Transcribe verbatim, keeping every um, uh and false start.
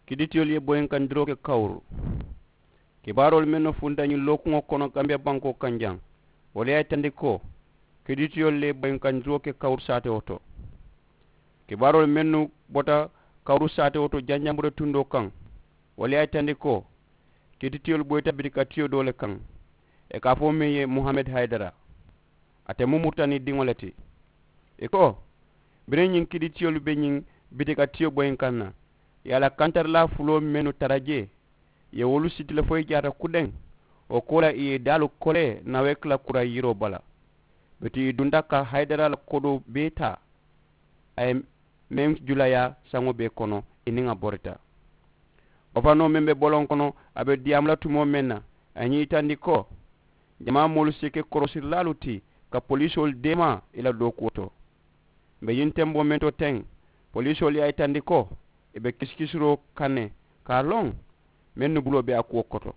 Kiditiyolu ye boyinkandiroo ke kawuru. Kibaaroolu mennu funta ñiŋ lookuŋo kono kambiya bankoo kaŋ jaŋ, wolu ye a yitandi ko kiditiyolu le ye boyinkandiroo ke kawuru saatewo to. Kibaaroolu mennu bota kawuru saatewo to janjambure tundoo kaŋ, wolu ye a yitandi ko kiditiyolu boyita bitikatiyo doo le kaŋ, ì ka a fo meŋ ye muhamed hayidara. Ate mu muritani diŋo le ti. Ì ko biriŋ ñiŋ kiditiyolu be ñiŋ bitikatiyo boyinkaŋ na, ì ye a la kantarilaa fuloo mennu tara jee, ì ye wolu siti le fo ì jaata kudeŋ. Wo koolaa ì ye ì daalu kolee naweeki la kuraŋ yiroo bala. Bituŋ ì dunta ka hayidara la kodoo bee taa. A ye meŋ julayaa saŋo bee kono, ì niŋ a borita. Wo fanoo meŋ be boloŋ kono, a be diyaamu la tumoo meŋ na, a ye ñiŋ yitandi ko jamaa moolu si ke korosirilaalu ti ka poliisoolu deemaa ì la dookuwo to. M̀ be ñiŋ temboo meŋ to teŋ, poliisoolu ye a yitandi ko ì be kisikisiroo kaŋ ne ka a loŋ mennu buloo be a kuwo koto.